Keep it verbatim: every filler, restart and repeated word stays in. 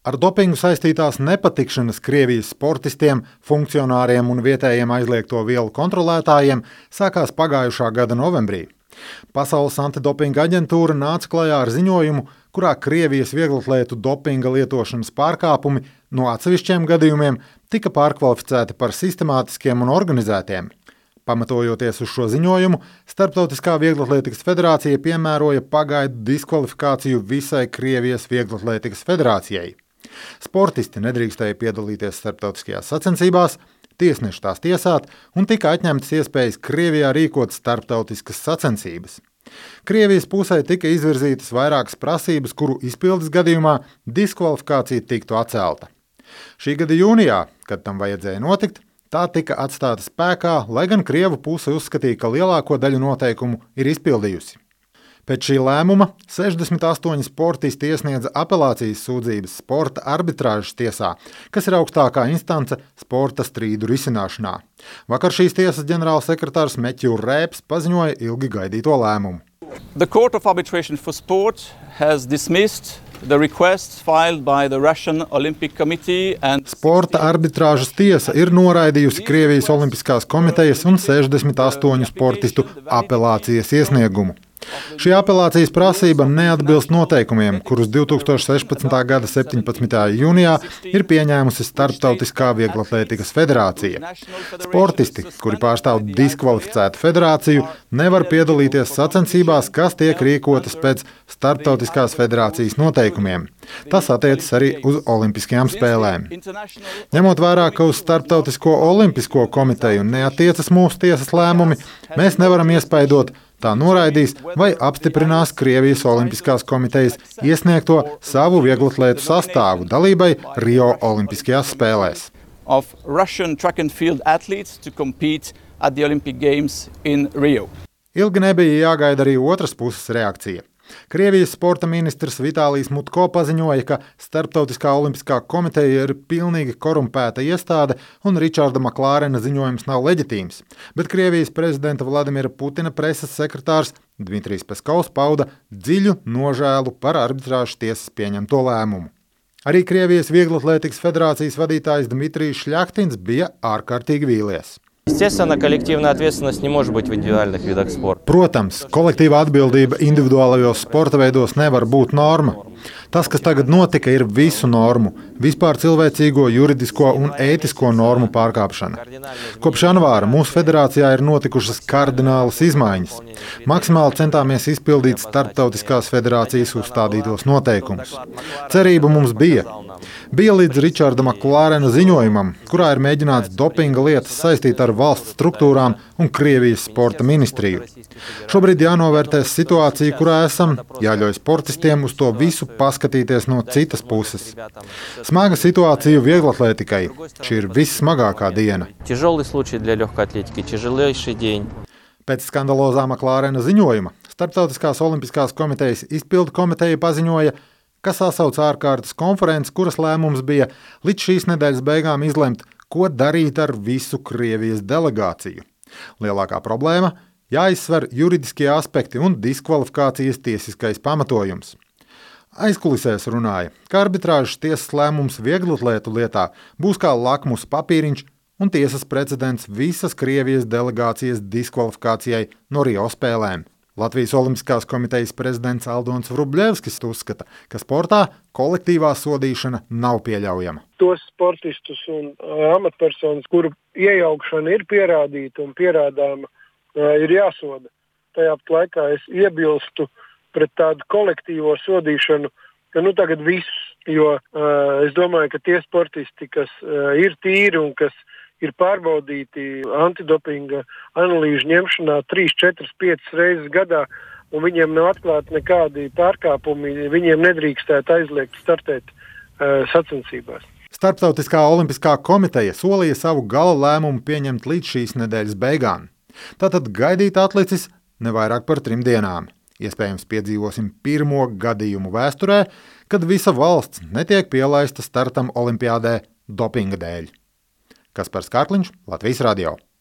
Ar dopingu saistītās nepatikšanas Krievijas sportistiem, funkcionāriem un vietējiem aizliegto vielu kontrolētājiem sākās pagājušā gada novembrī. Pasaules antidopinga aģentūra nāca klajā ar ziņojumu, kurā Krievijas vieglatlētu dopinga lietošanas pārkāpumi no atsevišķiem gadījumiem tika pārkvalificēti par sistemātiskiem un organizētiem. Pamatojoties uz šo ziņojumu, Starptautiskā vieglatlētikas federācija piemēroja pagaidu diskvalifikāciju visai Krievijas vieglatlētikas federācijai. Sportisti nedrīkstēja piedalīties starptautiskajās sacensībās, tiesneši tās tiesāt un tika atņemtas iespējas Krievijā rīkot starptautiskas sacensības. Krievijas pusē tika izvirzītas vairākas prasības, kuru izpildes gadījumā diskvalifikācija tiktu atcelta. Šī gada jūnijā, kad tam vajadzēja notikt, tā tika atstāta spēkā, lai gan Krievu puse uzskatīja, ka lielāko daļu noteikumu ir izpildījusi. Pēc šī lēmuma sešdesmit astoņi sportisti iesniedza apelācijas sūdzības sporta arbitrāžas tiesā, kas ir augstākā instance sporta strīdu risināšanā. Vakar šīs tiesas ģenerālsekretārs Meķu Rēps paziņoja ilgi gaidīto lēmumu. The Court of Arbitration for Sport has dismissed the requests filed by the Russian Olympic Committee and Sporta arbitrāžas tiesa ir noraidījusi Krievijas Olimpiskās komitejas un sešdesmit astoņu sportistu apelācijas iesniegumu. Šī apelācijas prasība neatbilst noteikumiem, kurus divtūkstoš sešpadsmitā gada septiņpadsmitajā jūnijā ir pieņēmusi Starptautiskā vieglatlētikas federācija. Sportisti, kuri pārstāv diskvalificētu federāciju, nevar piedalīties sacensībās, kas tiek rīkotas pēc Starptautiskās federācijas noteikumiem. Tas attiecas arī uz olimpiskajām spēlēm. Ņemot vērā, ka uz Starptautisko olimpisko komiteju neatiecas mūsu tiesas lēmumi, mēs nevaram iespaidot, tā noraidīs vai apstiprinās Krievijas Olimpiskās komitejas iesniegto savu vieglatlētu sastāvu dalībai Rio Olimpiskajās spēlēs. of Russian track and field athletes to compete at the Olympic Games in Rio. Ilgi nebija jāgaida arī otras puses reakcija. Krievijas sporta ministrs Vitālijs Mutko paziņoja, ka Starptautiskā olimpiskā komiteja ir pilnīgi korumpēta iestāde un Ričarda Maklārena ziņojums nav leģitīms, bet Krievijas prezidenta Vladimira Putina preses sekretārs Dmitrijs Peskovs pauda dziļu nožēlu par arbitrāžas tiesas pieņemto lēmumu. Arī Krievijas vieglatlētikas federācijas vadītājs Dmitrijs Šļahtins bija ārkārtīgi vīlies. Естественно, коллективная ответственность не может быть в индивидуальных видах спорта. Protams, kolektīva atbildība individuālajos sporta veidos nevar būt norma. Tas, kas tagad notika, ir visu normu, vispār cilvēcīgo, juridisko un ētisko normu pārkāpšana. Kopš janvāra mūsu federācijā ir notikušas kardinālas izmaiņas. Maksimāli centāmies izpildīt Starptautiskās federācijas uzstādītos noteikumus. Cerība mums bija. Bija līdz Ričarda Maklārena ziņojumam, kurā ir mēģināts dopinga lietas saistīt ar valsts struktūrām un Krievijas sporta ministriju. Šobrīd jānovērtē situācija, kurā esam, jāļauj sportistiem uz to visu paskatīties no citas puses. Smaga situācija vieglatlētikai. Šī ir vissmagākā diena. Тяжелый случай для легкой атлетики, тяжелейший день. Pēc skandalozā Maklārena ziņojuma Starptautiskās olimpiskās komitejas izpildu komiteja paziņoja, ka sasauc ārkārtas konferences, kuras lēmums bija līdz šīs nedēļas beigām izlemt, ko darīt ar visu Krievijas delegāciju. Lielākā problēma – jāizsver juridiskie aspekti un diskvalifikācijas tiesiskais pamatojums. Aizkulisēs runāja, ka arbitrāžas tiesas lēmums vieglatlētu lietā būs kā lakmus papīriņš un tiesas precedents visas Krievijas delegācijas diskvalifikācijai no Rio spēlēm. Latvijas Olimpiskās komitejas prezidents Aldons Vrubļevskis uzskata, ka sportā kolektīvā sodīšana nav pieļaujama. Tos sportistus un amatpersonas, kuru iejaukšana ir pierādīta un pierādāma, ir jāsoda. Tajā pat laikā es iebilstu pret tādu kolektīvo sodīšanu, ka nu tagad viss, jo uh, es domāju, ka tie sportisti, kas uh, ir tīri un kas ir pārbaudīti antidopinga analīžu ņemšanā trīs, četras, piecas reizes gadā, un viņiem nav atklāti nekādi pārkāpumi, viņiem nedrīkstētu aizliegt startēt uh, sacensībās. Starptautiskā olimpiskā komiteja solīja savu gala lēmumu pieņemt līdz šīs nedēļas beigām. Tātad gaidīt atlicis ne vairāk par trim dienām. Iespējams, piedzīvosim pirmo gadījumu vēsturē, kad visa valsts netiek pielaista startam olimpiādē dopinga dēļ. Kaspars Kārkliņš, Latvijas radio.